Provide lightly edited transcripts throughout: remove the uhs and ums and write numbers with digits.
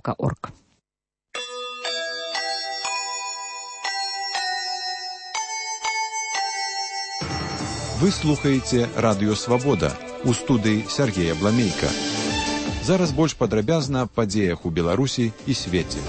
.org. Вы слухаеце Радыё Свабода. У студыі Сергея Бламейка. Зараз больш падрабязна аб падзеях у Беларусі і свеце.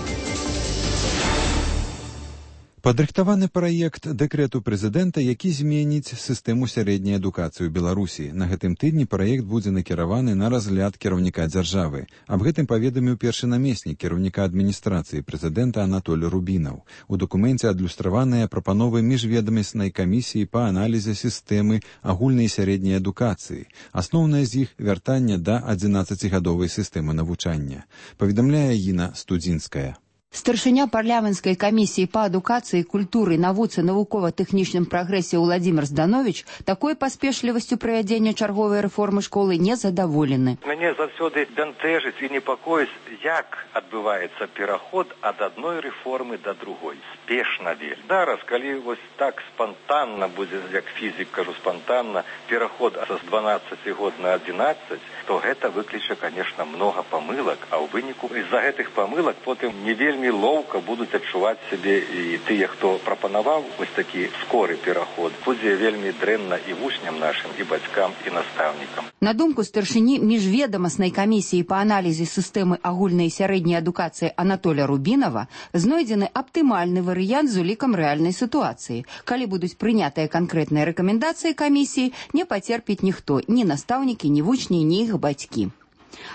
Падрыхтаваны праект дэкрэту прэзідэнта, які зменіць сістэму сярэдняй адукацыі ў Беларусі. На гэтым тыдні праект будзе накіраваны на разгляд кіраўніка дзяржавы. Аб гэтым паведаміў першы намеснік кіраўніка адміністрацыі прэзідэнта Анатоль Рубінаў. У дакуменце адлюстраваныя прапановы міжведамаснай камісіі па аналізе сістэмы агульнай сярэдняй адукацыі. Асноўнае з іх вяртанне да 11-гадовай сістэмы навучання. Паведамляе Інна Студзінская. Старшыня парламенцкай камісіі па адукацыі, культуры, навуцы, навукова-тэхнічным прагрэсе Уладзімір Здановіч такой паспешлівасцю правядзення чарговай рэформы школы не задаволены. Мяне заўсёды бянтэжыць і непакоіць, як адбываецца пераход ад адной рэформы да другой. Спешна вельмі. Зараз, калі вось так спантанна будзе, як фізік кажу, спантанна, пераход са 12 год на 11, то гэта выкліча, конечно, много памылак, а ў выніку з-за гэтых памылак потым не вельмі лоўка будуць адчуваць сябе і тыя, хто прапанаваў вось такі скоры пераход. Будзе вельмі дрэнна і вучням нашым, і бацькам, і настаўнікам. На думку старшыні міжведамаснай камісіі па аналізе сістэмы агульнай і сярэдняй адукацыі Анатоля Рубінава знойдзены аптымальны варыянт з улікам рэальнай сітуацыі. Калі будуць прынятыя канкрэтныя рэкамендацыі камісіі, не пацерпіць ніхто, ні настаўнікі, ні вучні, ні іх бацькі.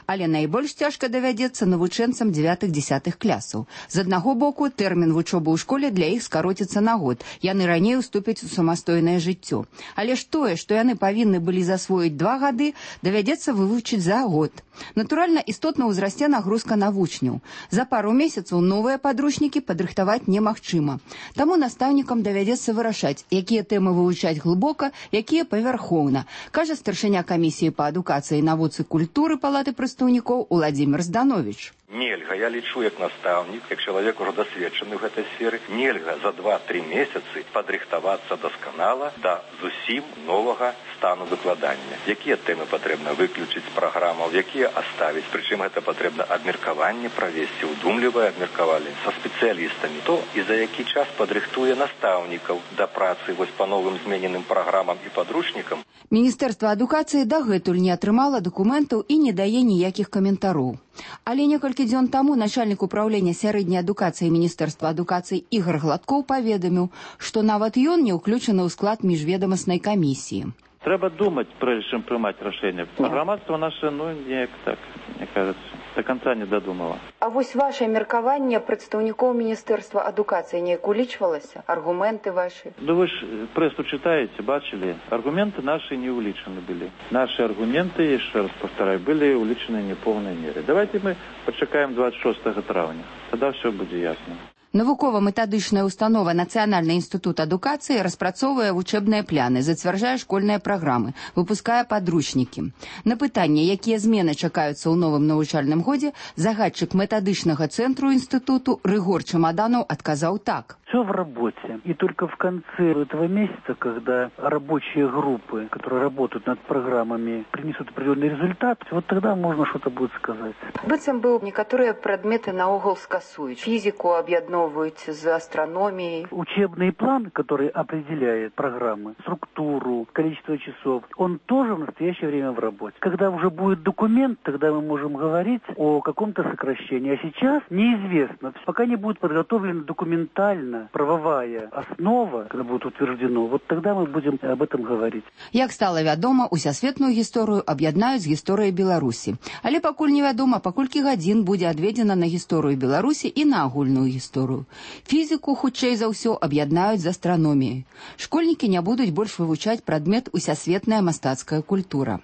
Але найбольш цяжка давядзецца навучэнцам 9-10 класаў. З аднаго боку, тэрмін вучобы ў школе для іх скароціцца на год. Яны раней уступяць у самастойнае жыццё. Але ж тое, што яны павінны былі засвоіць 2 гады, давядзецца вывучыць за год. Натуральна, істотна ўзрасце нагрузка на вучняў. За пару месяцаў новыя падручнікі падрыхтаваць немагчыма. Таму настаўнікам давядзецца вырашаць, якія тэмы вывучаць глыбока, якія павярхоўна, кажа старшыня камісіі па адукацыі, навуцы, культуры Палаты прадстаўнікоў Уладзімір Здановіч. Нельга, я лічу як настаўнік, як чалавек ужо дасведчаны ў гэтай сферы, нельга за 2-3 месяцы падрыхтавацца дасканала да зусім новага стану выкладання. Якія тэмы патрэбна выключыць з праграмаў, якія аставіць, прычым гэта патрэбна абмеркаванне правесці, удумлівае абмеркаванне са спецыялістамі. То і за які час падрыхтуе настаўнікаў да працы вось па новым змененым праграмам і падручнікам. Міністэрства адукацыі дагэтуль не атрымала дакументаў і не дае ніякіх каментароў. Але некалькі дзён таму начальнік управлення сярэдняй адукацыі Міністэрства адукацыі Ігор Гладкоў паведаміў, што нават ён не ўключаны ў склад міжведамаснай камісіі. Трэба думаць, прежде чым прымаць рашэнне. Грамадства наше, неяк так, мне кажется, до конца не дадумала. А вось ваше меркаванне прадстаўнікоў Міністэрства адукацыі неяк улічвалася? Аргументы ваши? Вы ж прессу читаете, бачили? Аргументы наши не уличены были. Наши аргументы, еще раз повторяю, были уличены не в полной мере. Давайте мы почекаем 26 травня. Тогда все будет ясно. Навукова-метадычная установа Нацыянальны інстытут адукацыі распрацоўвае вучэбныя пляны, зацвярджае школьныя праграмы, выпускае падручнікі. На пытанне, якія змены чакаюцца ў новым навучальным годзе, загадчык метадычнага цэнтру інстытуту Рыгор Чамаданаў адказаў так. Все в работе. И только в конце этого месяца, когда рабочие группы, которые работают над программами, принесут определенный результат, вот тогда можно что-то будет сказать. Быццам бы некоторые предметы наогул скасуюць. Физику объединовывают с астрономией. Учебный план, который определяет программы, структуру, количество часов, он тоже в настоящее время в работе. Когда уже будет документ, тогда мы можем говорить о каком-то сокращении. А сейчас неизвестно. Пока не будет подготовлена документально правовая основа, когда будет утверждено, вот тогда мы будем об этом говорить. Як стала вядома, усесветную гісторыю аб'яднаюць з гісторыяй Беларусі. Але пакуль невядома, паколькі гадзін будзе адведзена на гісторыю Беларусі і на агульную гісторыю. Фізіку, хутчэй за ўсё, аб'яднаюць з астраноміяй. Школьнікі не будуць больш вывучаць прадмет усесветная мастацкая культура.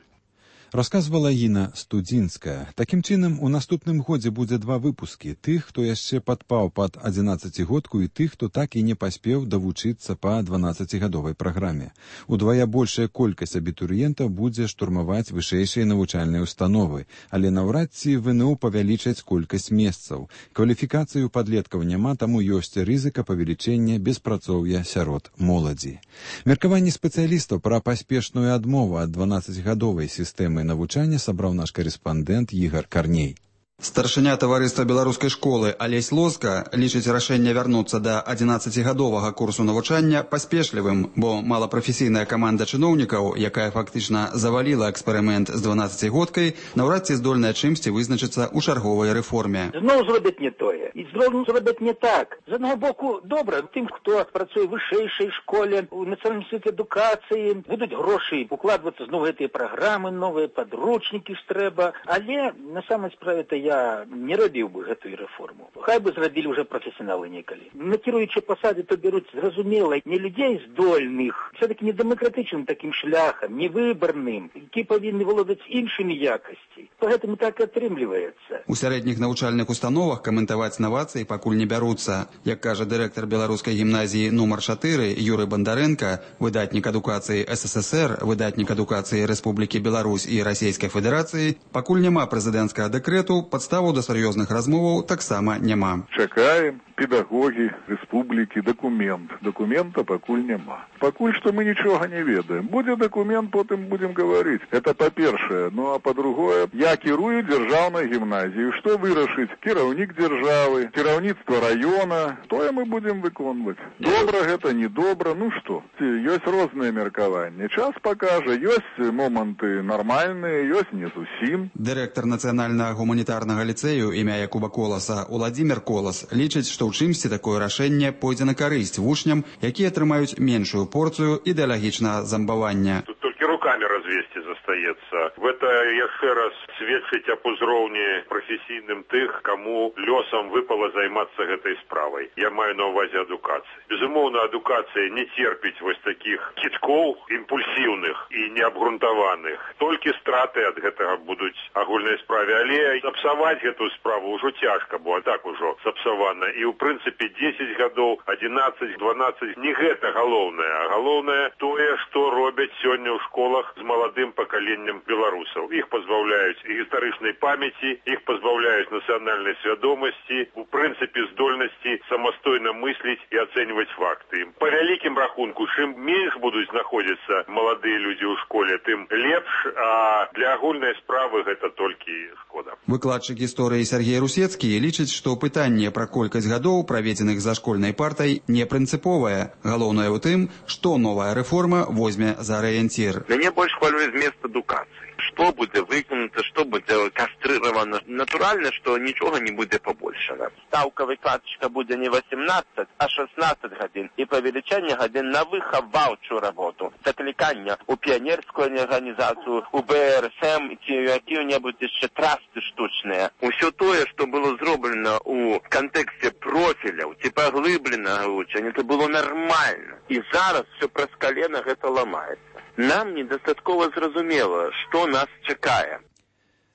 Расказвала Інна Студзінская. Такім чынам, у наступным годзе будзе 2 выпускі. Тых, хто яшчэ падпаў пад 11-годку і тых, хто так і не паспеў давучыцца па 12-гадовай праграме. Удвая большая колькасць абітурыентаў будзе штурмаваць вышэйшыя навучальныя установы, але наўрад ці ВНУ павялічаць колькасць месцаў. Кваліфікацыю падлеткаў няма, таму ёсць рызыка павелічэння беспрацоўя сярод моладзі. Меркаванне спецыялістаў пра паспешную адмову ад 12-гадовай сістэмы навучання сабраў наш карэспандэнт Ігар Карней. Старшыня таварыства беларускай школы Алесь Лоска лічыць рашэнне вярнуцца да 11гадовага курсу навучання паспешлівым, бо малапрафесійная каманда чыноўнікаў, якая фактычна заваліла эксперымент з 12годкай, наўрад ці здольная чымсьці вызначыцца ў чарговай рэформе. Зноў зробяць не тое. І зноў зробяць не так. З аднаго боку, добра, тым, хто працуе ў вышэйшай школе, у Нацыянальным інстытуце адукацыі, будуць грошы укладвацца зноў гэтыя праграмы, новыя падручнікі ж трэба. Але на самай справе-то я не рабіў бы гэтую рэформу. Хай бы зрабілі ўжо прафесіяналы некалі. Накіруючы пасады, то бяруць, зразумела, не людзей здольных, все-таки не дэмакратычным такім шляхам, не выбарным, які павінны валодаць іншымі якасці. Поэтому так і атрымліваецца. У сярэдніх навучальных установах каментаваць навацыі пакуль не бяруцца. Як кажа дырэктар беларускай гімназіі нумар 4 Юрый Бондаренко, выдатнік адукацыі СССР, выдатнік адукацыі Рэспублікі Беларусь і Расійскай Федэрацыі, пакуль няма прэзідэнцкага дэкрэту, падставу да сур'ёзных размоваў таксама няма. Чакаем, педагогі рэспублікі, дакумент. Дакумента пакуль няма. Пакуль што мы нічога не ведаем. Будзе дакумент, потым будзем гаварыць. Это па-першае. Ну а па-другое, я кірую дзяржаўнай гімназіяй. Што вырашыць? Кіраўнік дзяржавы, кіраўніцтва раёна. Тое мы будзем выконваць. Добра гэта, не добра. Ну што? Ёсць розныя меркаванні. Час пакажа. Ёсць моманты нармальныя, ёсць не зусім. Дырэктар нацыянальнага гуманітарнага ліцэю імя Якуба Коласа Уладзімір Колас лічыць, што ў чымсьці такое рашэнне пойдзе на карысць вучням, якія атрымаюць меншую порцыю ідэалагічнага замбавання. Тут толькі руками развесці застаецца. Гэта яшчэ раз сведчыць аб узроўні прафесійным тых, каму лёсам выпала займацца гэтай справай. Я маю на ўвазе адукацыі. Безумоўна, адукацыя не церпіць вось такіх кідкоў імпульсіўных і неабгрунтаваных. Толькі страты ад гэтага будуць агульнай справе, але сапсаваць гэтую справу ўжо цяжка, бо так ужо сапсавана. І ў прынцыпе 10 гадоў, 11, 12 не гэта галоўнае, а галоўнае тое, што робяць сёння ў школах з маладым пакаленнем беларусаў. Іх пазбаўляюць гістарычнай памяці, іх пазбаўляюць нацыянальнай свядомасці, у прынцыпе здольнасці самастойна мысліць і ацэньваць факты. Па вялікім рахунку, чым менш будуць знаходзіцца маладыя людзі ў школе, тым лепш, а для агульнай справы гэта толькі шкода. Выкладчык гісторыі Сергей Русецкі лічыць, што пытанне пра колькасць гадоў, праведзеных за школьнай партай, не прынцыповае. Галоўнае ў тым, што новая рэформа возьме за арыенцір. Мяне больш хвалюе змест адукацыі. Што будзе выканута, што будзе кастрыравана. Натуральна, што нічога не будзе пабольшана. Стаўка выкладчыка будзе не 18, а 16 гадзін. І павелічэнне гадзін на выхаваўчую работу. Заклікання ў піянерскую арганізацыю, у БРСМ ці якія-небудзь яшчэ трасты штучныя. Усё тое, што было зроблена ў кантэксце профіляў ці паглыбленага вучання, это было нармальна. І зараз все праз калена гэта ламаецца. Нам недастаткова зразумела, што нас чакае.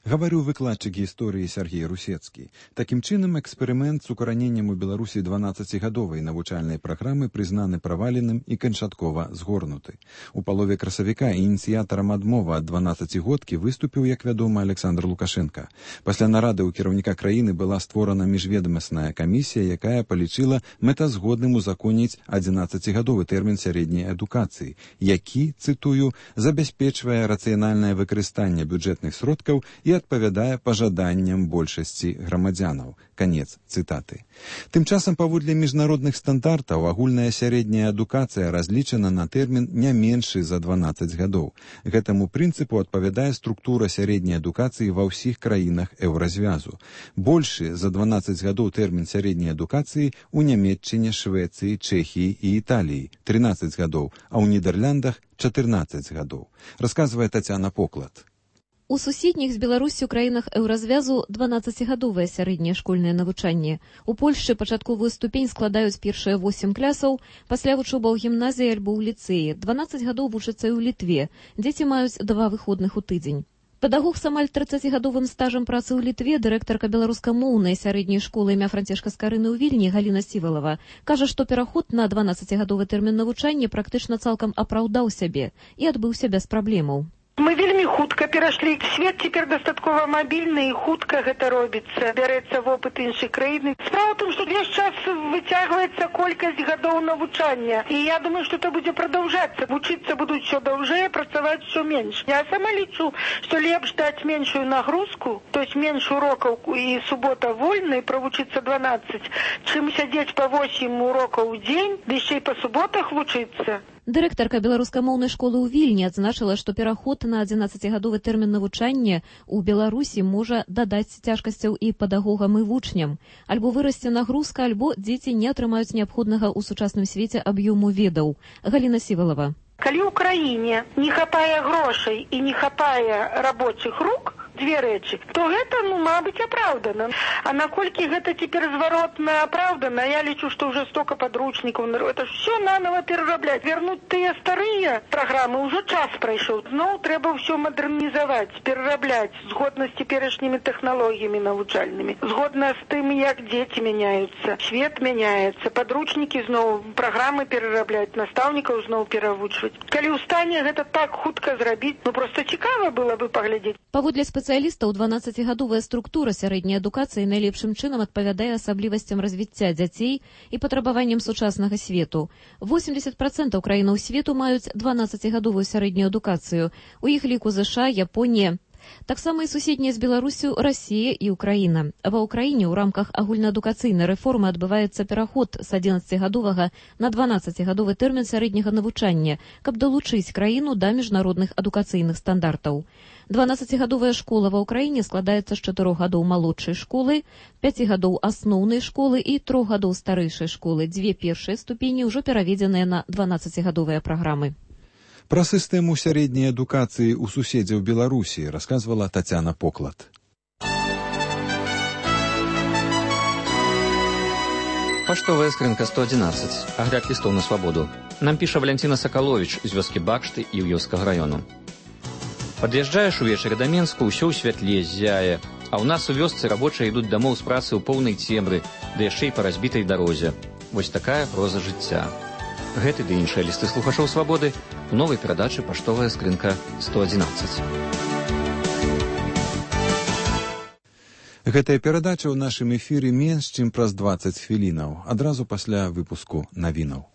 Гаварыў выкладчык гісторыі Сергей Русецкі. Такім чынам, эксперымент з укараненнем у Беларусі 12гадовай навучальнай праграмы прызнаны праваленым і канчаткова згорнуты. У палове красавіка ініцыятарам адмовы ад 12годкі выступіў, як вядома, Александр Лукашенко. Пасля нарады ў кіраўніка краіны была створана міжведамасная камісія, якая палічыла мэтазгодным узаконіць 11гадовы тэрмін сярэдняй адукацыі, які, цытую, забяспечвае рацыянальнае выкарыстанне бюджэтных сродкаў і адпавядае пажаданням большасці грамадзянаў. Канец цытаты. Тым часам, паводле міжнародных стандартаў, агульная сярэдняя адукацыя разлічана на тэрмін не меншы за 12 гадоў. Гэтаму прынцыпу адпавядае структура сярэдняй адукацыі ва ўсіх краінах еўразвязу. Большы за 12 гадоў тэрмін сярэдняй адукацыі ў Нямецчыне, Швецыі, Чэхіі і Італіі 13 гадоў, а ў Нідэрляндах 14 гадоў. Расказвае Тацяна Поклад. У суседніх з Беларусю краінах еўразвязу 12гадовае сярэдняе школьнае навучанне. У Польшчы пачатковую ступень складаюць першыя 8 класаў, пасля вучоба ў гімназіі альбо ў ліцэі. 12 гадоў вучацца і ў Літве. Дзеці маюць 2 выходных у тыдзень. Педагог з амаль 30гадовым стажам працы ў Літве, дырэктарка беларускамоўнай сярэдняй школы імя Францішка Скарыны ў Вільні Галіна Сівалава, кажа, што пераход на 12гадовы тэрмін навучання практычна цалкам апраўдаў сябе і адбыўся без праблемаў. Мы вельмі хутка перайшлі. Свет цяпер дастаткова мабільны і хутка гэта робіцца. Бярэцца вопыт іншых краін. Справа ў том, што весь час выцягваецца колькасць гадоў навучання. І я думаю, што это будзе прадаўжацца. Вучыцца будуць усё даўжэй, працаваць усё менш. Я сама лічу, што лепш даць меншую нагрузку, то есть менш урокаў і субота вольнай, правучыцца 12, чым сядзець па 8 урокаў у дзень, ды яшчэ і па суботах вучыцца. Дырэктарка беларускамоўнай школы ў Вільні адзначыла, што пераход на 11-гадовы тэрмін навучання ў Беларусі можа дадаць цяжкасцяў і педагогам і вучням. Альбо вырасце нагрузка, альбо дзеці не атрымаюць неабходнага ў сучасным свеце аб'ёму ведаў. Галіна Сівалава. Калі ў краіне не хапае грошай і не хапае рабочых рук, две рэчы, то гэта, мабыць, апраўдана. А наколькі гэта цяпер зваротна апраўдана, я лічу, што ўжо стока падручнікаў, это ўсё нанова перарабляць. Вернуць тыя старыя праграмы, ўжо час прайшоў. Зноў трэба ўсё мадэрнізаваць, перарабляць, згодна з цяперашнімі тэхналогіямі навучальнымі, згодна з тым, як дзеці мяняюцца, свет мяняецца, падручнікі зноў, праграмы перарабляць, настаўнікаў зноў перавучваць. Калі ў стане гэта так хутка зрабіць, проста цікава было бы паглядзець. Паводле спецыялістаў, 12-гадовая структура сярэдняй адукацыі найлепшым чынам адпавядае асаблівасцям развіцця дзяцей і патрабаванням сучаснага свету. 80% краінаў свету маюць 12-гадовую сярэднюю адукацыю. У іх ліку ЗША, Японія. Таксама і суседнія з Беларусю Расія і Украіна. Ва Ўкраіне ў рамках агульнаадукацыйнай рэформы адбываецца пераход з 11-гадовага на 12-гадовы тэрмін сярэдняга навучання, каб далучыць краіну да міжнародных адукацыйных стандартаў. 12-гадовая школа ва Ўкраіне складаецца з 4 гадоў малодшай школы, 5 гадоў асноўнай школы і 3 гадоў старэйшай школы. 2 першыя ступені ўжо пераведзеныя на 12-гадовыя праграмы. Пра сістэму сярэдняй адукацыі ў суседзяў Беларусі расказвала Тацяна Поклад. Паштовая скрынка 111. Агляд лістоў на свабоду. Нам піша Валянціна Сакаловіч з вёскі Бакшты і Іўёўскага раёну. Пад'язджаеш увечары да Менску, ўсё ў святле ззяе, а ў нас у вёсцы рабочыя ідуць дамоў з працы ў поўнай цемры, ды яшчэ і па разбітай дарозе. Вось такая проза жыцця. Гэты ды іншыя лісты слухачоў свабоды у новай перадачы «Паштовая скрынка 111». Гэтая перадача ў нашым эфіры менш, чым праз 20 хвілінаў, адразу пасля выпуску навінаў.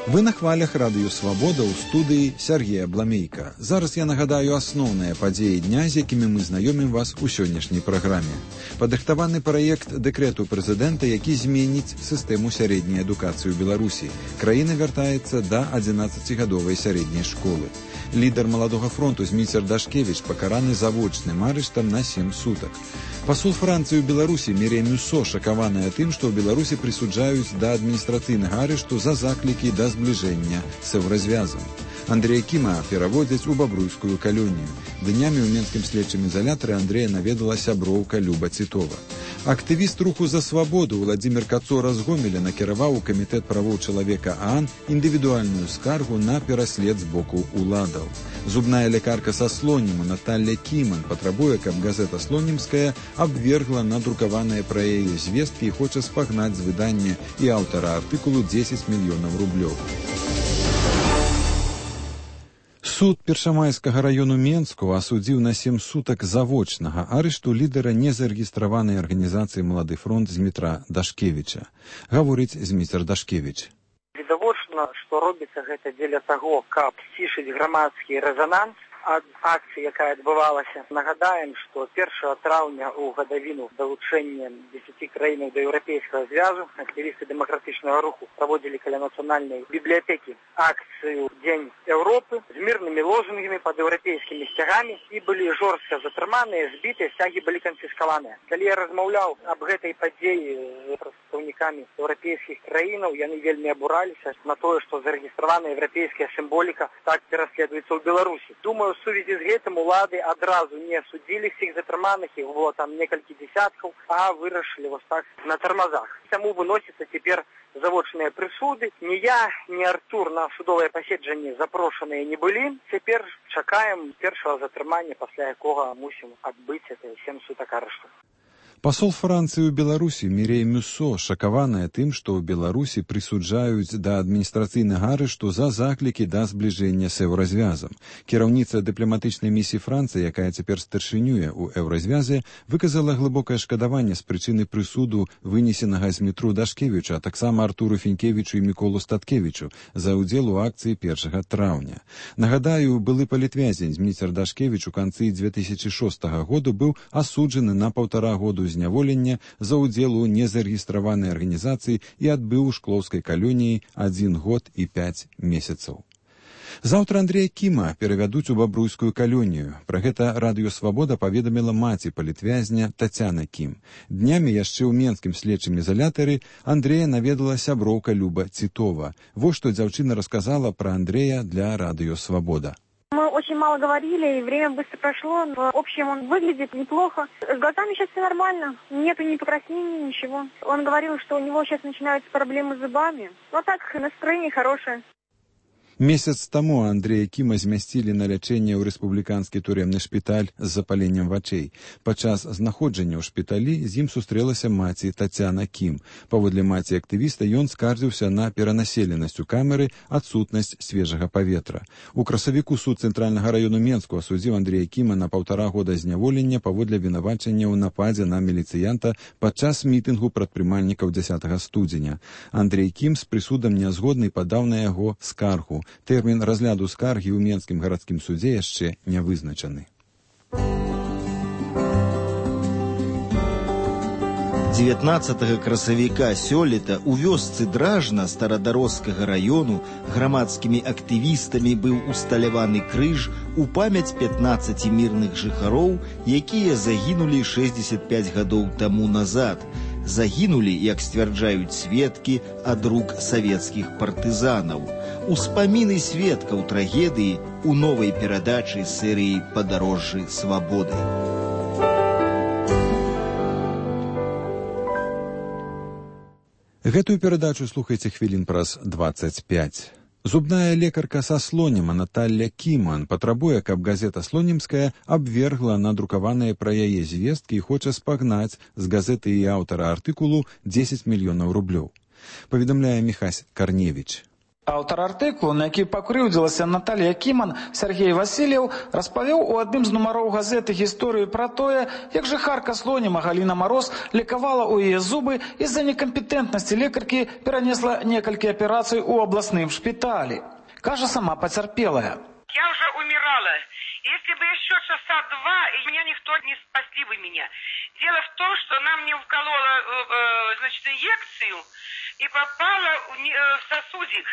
Вы на хвалях радыё «Свабода» ў студыі Сергея Бламейка. Зараз я нагадаю асноўныя падзеі дня, з якімі мы знаёмім вас у сённяшняй праграме. Падрыхтаваны праект дэкрэту прэзідэнта, які зменіць сістэму сярэдняй адукацыі ў Беларусі. Краіна вяртаецца да 11-гадовай сярэдняй школы. Лідар маладога фронту Зміцер Дашкевіч пакараны завочным арыштам на 7 сутак. Пасол Францыі ў Беларусі Мірей Мюссо шакаваная тым, што ў Беларусі прысуджаюць да адміністрацыйнага арышту за заклікі да збліжэння з еўразвязам. Андрэя Кіма пераводзяць у бабруйскую калонію. Днямі ў менскім следчым ізалятары Андрэя наведала сяброўка Люба Цітова. Актывіст руху за свабоду Владзімір Кацора з Гомеля накіраваў у камітэт правоў чалавека ААН індывідуальную скаргу на пераслед з боку уладаў. Зубная лекарка са Слоніму Наталля Кіман патрабуе, каб газета «Слонімская» абвергла надрукаваныя пра яе звесткі і хоча спагнаць з выдання і аўтара артыкулу 10 мільёнаў рублёў. Суд Першамайскага раёну Менску асудзіў на 7 сутак завочнага арышту лідара незарэгістраванай арганізацыі «Малады фронт» Змітра Дашкевіча. Гаворыць Змітер Дашкевіч. Відавочна, што робіцца гэта дзеля таго, каб сцішыць грамадскі рэзананс ад акцыі, якая адбывалася. Нагадаем, што 1 траўня ў гадавіну далучэння 10 краінаў да Еўрапейскага звязу актывісты дэмакратычнага руху праводзілі каля нацыянальнай бібліятэкі акцыю «Дзень Еўропы» з мірнымі лозунгамі пад еўрапейскімі сцягамі і былі жорстка затрыманыя, збітыя, сцягі былі канфіскаваныя. Калі я размаўляў аб гэтай падзеі з прадстаўнікамі еўрапейскіх краінаў, яны вельмі абураліся на тое, што зарэгістраваная еўрапейская сімволіка так пераследуецца ў Беларусі. Думаю, в сувязі з гэтым улады адразу не судзілі всіх затрыманых, іх было там некалькі десяткаў, а вырашылі вось так на тармазах. Таму выносяцца цяпер завочныя прысуды. Ні я, ні Артур на судовае паседжанне запрошаныя не былі. Цяпер чакаем першага затрымання, пасля якога мусім адбыць 7 сутак арышту. Пасол Францыі ў Беларусі Мірей Мюссо шакаваная тым, што ў Беларусі прысуджаюць да адміністрацыйнага арышту за заклікі да збліжэння з еўразвязам. Кіраўніца дыпламатычнай місіі Францыі, якая цяпер старшынюе ў еўразвязе, выказала глыбокае шкадаванне з прычыны прысуду, вынесенага з Дмітру Дашкевічу, а таксама Артуру Фінкевічу і Міколу Статкевічу за ўдзел у акцыі 1 траўня. Нагадаю, былы палітвязень Дмітр Дашкевіч у канцы 2006 году быў асуджаны на 1,5 году зняволення за ўдзел у незарэгістраванай арганізацыі і адбыў у шклоўскай калоніі 1 год і 5 месяцаў. Заўтра Андрэя Кіма перавядуць у бабруйскую калонію. Пра гэта Радыё Свабода паведаміла маці палітвязня Тацяна Кім. Днямі яшчэ ў менскім следчым ізалятары Андрэя наведала сяброўка Люба Цітова. Вось што дзяўчына расказала пра Андрэя для Радыё Свабода. Мы очень мало говорили, и время быстро прошло. В общем, он выглядит неплохо. С глазами сейчас все нормально. Нету ни покраснений, ничего. Он говорил, что у него сейчас начинаются проблемы с зубами. Но так, настроение хорошее. Месяц таму Андрэя Кіма змясцілі на лячэнне ў рэспубліканскі турэмны шпіталь з запаленнем вачэй. Падчас знаходжання ў шпіталі з ім сустрэлася маці Тацяна Кім. Паводле маці актывіста ён скардзіўся на перанаселенасць у камеры, адсутнасць свежага паветра. У красавіку суд цэнтральнага раёну Менску асудзіў Андрэя Кіма на 1,5 года зняволення паводле вінавачання ў нападзе на міліцыянта падчас мітынгу прадпрымальнікаў 10 студзеня. Андрэй Кім з прысудам нязгодны і падаў на яго скаргу. Тэрмін разгляду скаргі ў Менскім гарадскім судзе яшчэ не вызначаны. 19 красавіка сёлета у вёсцы Дражна старадарожскага раёну грамадскімі актывістамі быў усталяваны крыж у памяць 15 мірных жыхароў, якія загінулі 65 гадоў таму назад. Загінулі, як сцвярджаюць сведкі, ад рук савецкіх партызанаў. Успаміны сведкаў трагедыі у новай перадачы серыі «Падарожжы свабоды». Гэтую перадачу слухайце хвілін праз 25. Зубная лекарка са Слонема Наталля Кіман патрабуе, каб газета «Слонемская» абвергла надрукаваныя пра яе звесткі і хоча спагнаць з газеты і аўтара артыкулу 10 мільёнаў рублёў. Паведамляе Міхась Карневіч. Аўтар артыкулу, на які пакрыўдзілася Наталья Кіман, Сергей Васильев, распавёў у адным з нумароў газеты гісторыю пра тое, як жыхарка Слонема Галіна Мароз лекавала ў яе зубы і з-за некампетэнтнасці лекаркі перанесла некалькі аперацый у абласным шпіталі. Кажа сама пацярпелая. Я уже умирала. Если бы еще часа 2, и меня никто не спасли бы меня. Дело в том, что она мне вколола, инъекцию и попала в сосудик.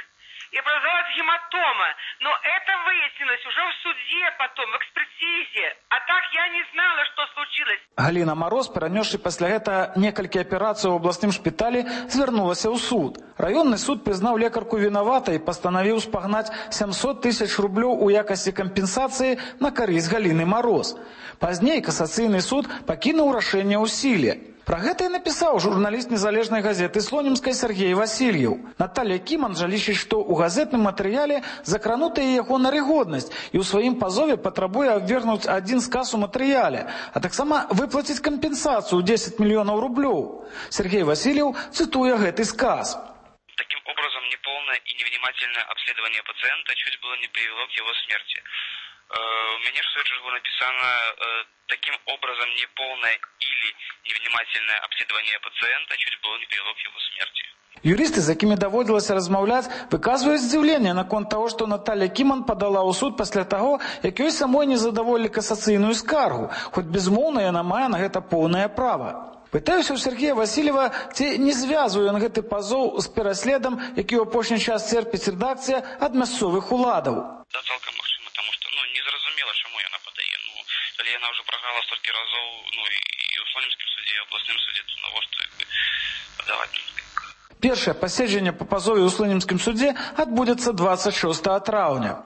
И образовалась гематома. Но это выяснилось уже в суде потом, в экспертизе. А так я не знала, что случилось. Галіна Мароз, перанесши пасля гэта некалькі аперацый у абласным шпіталі, звярнулася ў суд. Раённы суд прызнаў лекарку вінаватай і пастанавіў спагнаць 700 000 рублёў у якасці кампенсацыі на карысць Галіны Мароз. Пазней касацыйны суд пакінуў рашэнне ў сіле. Пра гэта і напісаў журналіст незалежнай газеты «Слонемскай» Сергей Васильев. Наталья Кіман жа лічыць, што ў газетным матэрыяле закранутая яго нарыгоднасць і ў сваім пазове патрабуе абвергнуць адзін сказ у матэрыяле, а таксама выплаціць кампенсацыю 10 мільёнаў рублёў. Сергей Васильев цитуе гэты сказ. Таким образом, неполное и невнимательное обследование пациента чуть было не привело к его смерти. У меня в свете было написано таким образом неполное или невнимательное обследование пациента чуть было не привело к его смерти. Юристы, з якімі даводзілася размаўляць, выказваюць здзіўленне наконт таго, што Наталья Кіман падала ў суд пасля таго, як ёй самой не задаволілі касацыйную скаргу, хоць безмоўна яна мае на гэта поўнае права. Пытаюся ў Сергея Васильева, ці не звязвае ён гэты пазоў з пераследам, які ў апошні час церпіць рэдакцыя ад мясцовых уладаў. Да, цалкам магчыма, таму што незразумела, чаму яна падае. Калі яна ўжо праграла столькі разоў, і ў Слонемскім судзе, і ў абласным судзе, то навошта падаваць? Першае паседжанне па пазове ў Слонемскім судзе адбудзецца 26 траўня.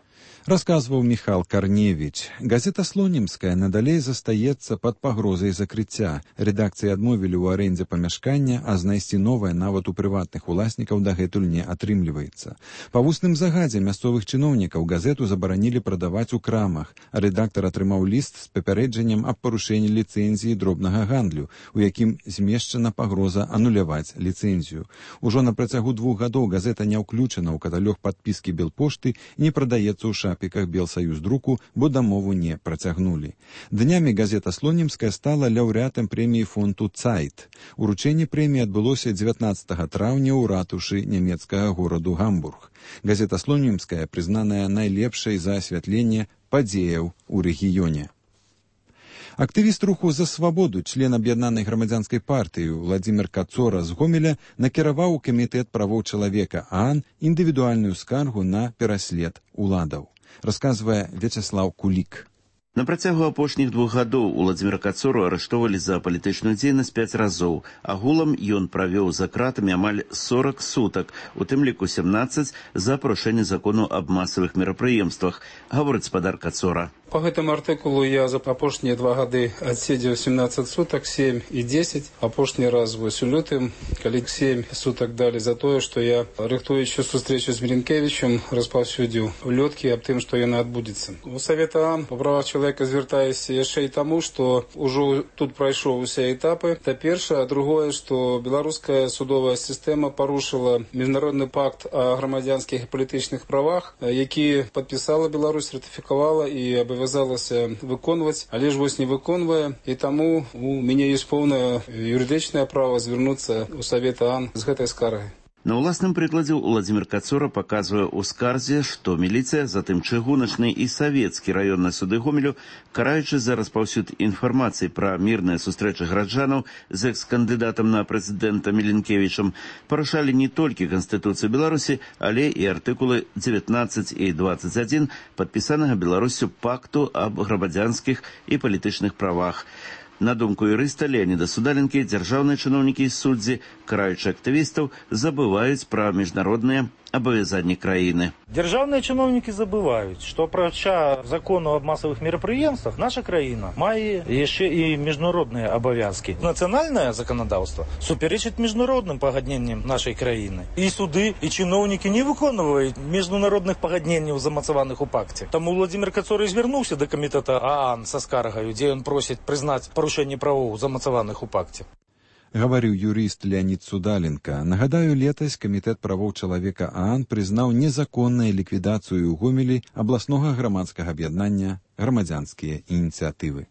Расказваў Міхал Карневіч. Газета «Слонімская» надалей застаецца пад пагрозай закрыцця. Рэдакцыі адмовілі ў арэндзе памяшкання, а знайсці новае нават у прыватных уласнікаў дагэтуль не атрымліваецца. Па вусным загадзе мясцовых чыноўнікаў газету забаранілі прадаваць у крамах, а рэдактар атрымаў ліст з папярэджаннем аб парушэнні ліцэнзіі дробнага гандлю, у якім змешчана пагроза ануляваць ліцэнзію. Ужо на працягу 2 гадоў газета не ўключана ў каталог падпіскі Белпошты і не прадаецца ў шапіках Белсаюздруку, бо дамову не працягнулі. Днямі газета «Слонімская» стала лаўрэатам прэміі фонду «Цайт». Уручэнне прэміі адбылося 19 траўня ў ратушы нямецкага гораду Гамбург. Газета «Слонімская» прызнаная найлепшай за асвятленне падзеяў у рэгіёне. Актывіст руху «За свабоду», член аб'яднанай грамадзянскай партыі Владзімір Кацора з Гомеля накіраваў у камітэт правоў чалавека ААН індывідуальную скаргу на пераслед уладаў. Расказвае Вячеслаў Кулік. На працягу апошніх 2 гадоў Владзіміра Кацору арыштоўвалі за палітычную дзейнасць 5 разоў. Агулам ён правёў за кратамі амаль 40 сутак, у тым ліку 17 за парушэнне закону аб масавых мерапрыемствах, гаворыць спадар Кацора. По гэтым артыкулу я за апошнія 2 гады адседзеў 17 сутак, 7 і 10. Апошні раз вось у лютым, калі 7 сутак далі за тое, што я, рыхтуючы сустрэчу з Мілінкевічем, распаўсюдзіў улёткі аб тым, што яна адбудзецца. У Савет ААН па правах чалавека звяртаюся яшчэ і таму, што ўжо тут прайшоў усе этапы. Та першае, а другое, што беларуская судовая сістэма парушыла міжнародны пакт о грамадзянскіх і палітычных правах, які падпісала Беларусь, ратыфікавала і абавязалася выконваць, але ж вось не выконвае, і таму у мяне ёсць поўнае юрыдычнае права звярнуцца ў Савет ААН з гэтай скаргай. На ўласным прыкладзе Владзімір Кацора паказвае ў скарзе, што міліцыя, затым чыгуначны і савецкі раённыя суды Гомелю, караючы за распаўсюд інфармацыі пра мірныя сустрэчы граджанаў з экс-кандыдатам на прэзідэнта Мілінкевічам, парушалі не толькі Канстытуцыю Беларусі, але і артыкулы 19 і 21 падпісанага Беларусю пакту аб грамадзянскіх і палітычных правах. На думку юрыста Леаніда Судаленкі, дзяржаўныя чыноўнікі і суддзі, караючы актывістаў, забываюць пра міжнародныя абавязанні краіны. Дзяржаўныя чыноўнікі забываюць, што апрача закону аб масавых мерапрыемствах наша краіна мае яшчэ і міжнародныя абавязкі. Нацыянальнае заканадаўства супярэчыць міжнародным пагадненням нашай краіны. І суды, і чыноўнікі не выконваюць міжнародных пагадненняў, замацаваных у пакце. Таму Владзімір Кацора звярнуўся да камітэта ААН са скаргаю, дзе ён просіць прызнаць парушэнне правоў, замацаваных у пакце. Гаварыў юрыст Леанід Судаленка. Нагадаю, летась камітэт правоў чалавека ААН прызнаў незаконную ліквідацыю ў Гомелі абласнога грамадскага аб'яднання «Грамадзянскія ініцыятывы».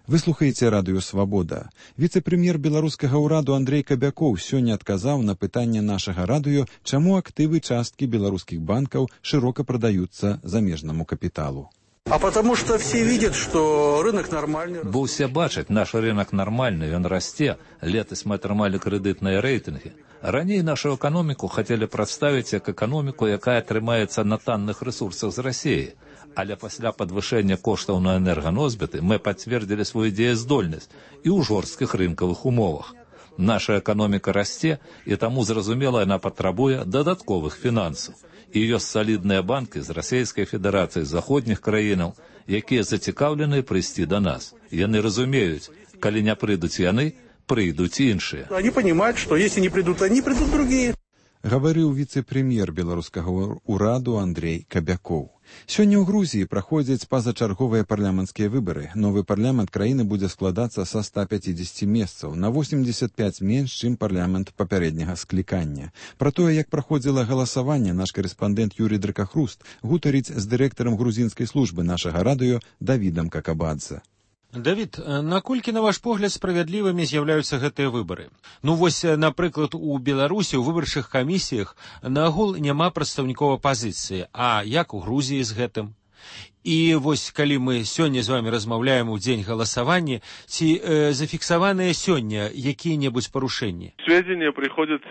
Вы слухаеце радыё «Свабода». Віцэ-прэм'ер беларускага ўраду Андрэй Кабякоў сёння адказаў на пытанне нашага радыё, чаму актывы часткі беларускіх банкаў шырока прадаюцца замежнаму капіталу. А потому что все видят, что рынок нормальный. Бо ўсе бачаць, наш рынок нармальны, ён расце. Летась мы атрымалі крэдытныя рэйтынгі. Раней нашу эканоміку хацелі прадставіць як эканоміку, якая трымаецца на танных рэсурсах з Расіі. Але пасля падвышэння коштаў на энерганосьбіты мы пацвердзілі сваю дзеяздольнасць і ў жорсткіх рынкавых умовах. Наша эканоміка расце, і таму, зразумела, яна патрабуе дадатковых фінансаў. І ёсць салідныя банкі з Расійскай Федэрацыі, з заходніх краінаў, якія зацікаўлены прыйсці да нас. Яны разумеюць, калі не прыйдуць яны, прыйдуць іншыя. Они понимают, что если не придут они, придут другие. Гаварыў віцэ-прэм'ер беларускага ўраду Андрэй Кабякоў. Сёння ў Грузіі праходзяць пазачарговыя парламенцкія выбары. Новы парламент краіны будзе складацца са 150 месцаў, на 85 менш, чым парламент папярэдняга склікання. Пра тое, як праходзіла галасаванне, наш карэспандэнт Юрій Дракахруст гутарыць з дырэктарам грузінскай службы нашага радыё Давідам Какабадзе. Давід, наколькі, на ваш погляд, справядлівымі з'яўляюцца гэтыя выбары? Ну вось, напрыклад, у Беларусі ў выбарчых камісіях наагул няма прадстаўнікоў апазіцыі, а як у Грузіі з гэтым? І вось калі мы сёння з вами размаўляем у дзень галасавання, ці зафіксаваныя сёння якія-небудзь парушэнні? Сведения приходят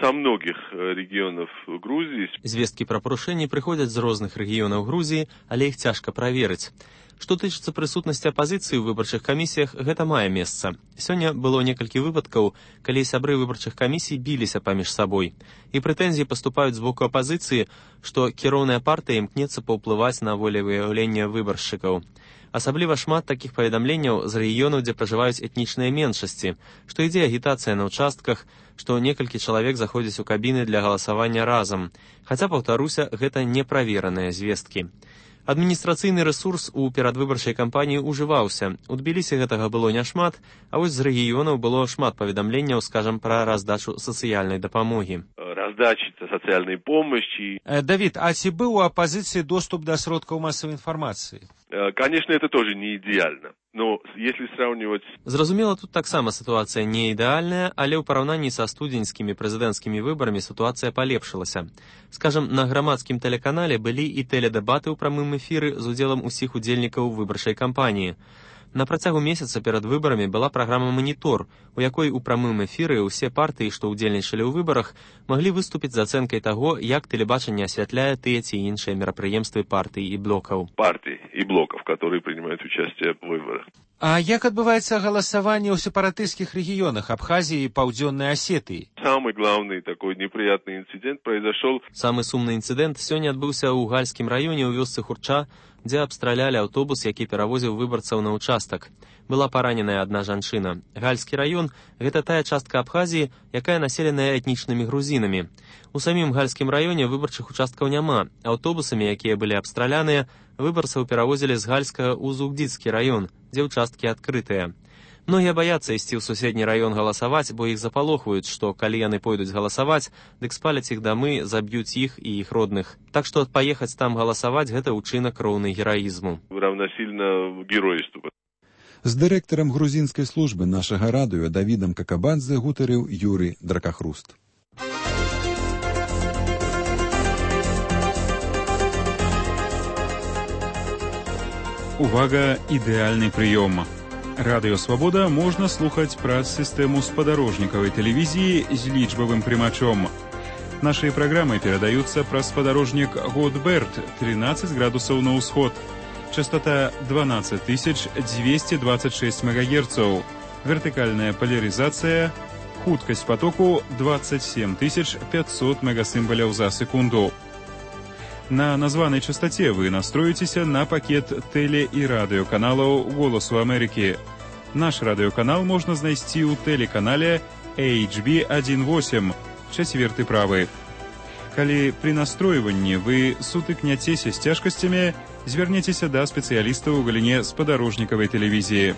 со многих регионов Грузии. Звесткі пра парушэнні прыходзяць з розных рэгіёнаў Грузіі, але іх цяжка праверыць. Што тычыцца прысутнасці апазіцыі ў выбарчых камісіях, гэта мае месца. Сёння было некалькі выпадкаў, калі сябры выбарчых камісій біліся паміж сабой. І прэтэнзіі паступаюць з боку апазіцыі, што кіроўная партыя імкнецца паўплываць на волевыяўленне выбаршчыкаў. Асабліва шмат такіх паведамленняў з рэгіёнаў, дзе пражываюць этнічныя меншасці, што ідзе агітацыя на ўчастках, што некалькі чалавек заходзяць у кабіны для галасавання разам. Хаця, паўтаруся, гэта неправераныя звесткі. Адміністрацыйны рэсурс у перадвыбарчай кампаніі ўжываўся. У Тбілісі гэтага было няшмат, а вось з рэгіёнаў было шмат паведамленняў, скажам, пра раздачу сацыяльнай дапамогі. Раздачи социальной помощи. Давид, а ці быў у апозіцыі доступ да сродкаў масавай інфармацыі? Конечно, это тоже не идеально. Но если сравнивать... Зразумела, тут таксама сітуацыя не ідэальная, але ў параўнанні са студзеньскімі прэзідэнцкімі выбарамі сітуацыя палепшылася. Скажам, на грамадскім тэлеканале былі і тэледэбаты ў прамым эфіры з удзелам усіх удзельнікаў выбарчай кампаніі. На працягу месяца перад выбарамі была праграма «Манітор», у якой у прамым эфіры ўсе партыі, што ўдзельнічалі ў выбарах, маглі выступіць з ацэнкай таго, як тэлебачанне асвятляе тыя ці іншыя мерапрыемствы партый і блокаў. Партий и блоков, которые принимают участие в выборах. А як адбываецца галасаванне ў сепаратысцкіх рэгіёнах Абхазіі і Паўдзённай Асетыі? Самый главный такой неприятный инцидент произошел... Самы сумны інцыдэнт сёння адбыўся ў Гальскім раёне ў вёсцы Хурча, дзе абстралялі аўтобус, які перавозіў выбарцаў на ўчастак. Была параненая адна жанчына. Гальскі раён – гэта тая частка Абхазіі, якая населеная этнічнымі грузінамі. У самім Гальскім раёне выбарчых участкаў няма. Аўтобусамі, якія былі абстраляныя, выбарцаў перавозілі з Гальска ў Зугдзіцкі раён, дзе ўчасткі адкрытыя. Многія баяцца ісці ў суседні раён галасаваць, бо іх запалохваюць, што калі яны пойдуць галасаваць, дык спаляць іх дамы, заб'юць іх і іх родных. Так што паехаць там галасаваць – гэта ўчынак роўны гераізму. Равнасильно геройству. З дырэктарам грузінскай службы нашага радыё Давідам Какабадзе гутарыў Юрый Дракахруст. Увага, ідэальны прыём. Радыё Свабода можна слухаць праз сістэму спадарожнікавай тэлевізіі з лічбавым прымачом. Нашыя праграмы перадаюцца праз спадарожнік Годберт 13 градусаў на ўсход. Частота 12226 МГц. Вертыкальная поляризация. Хуткасць потоку 27500 мегасімбаляў за секунду. На названай частоце вы настроіцеся на пакет тэле- і радыёканалаў «Голасу Амерыкі». Наш радыёканал можна знайсці ў тэлеканале HB18, 4 правы. Калі пры настройванні вы сутыкняцеся з цяжкасцямі, звярніцеся да спецыялістаў у галіне спадарожнікавай тэлевізіі.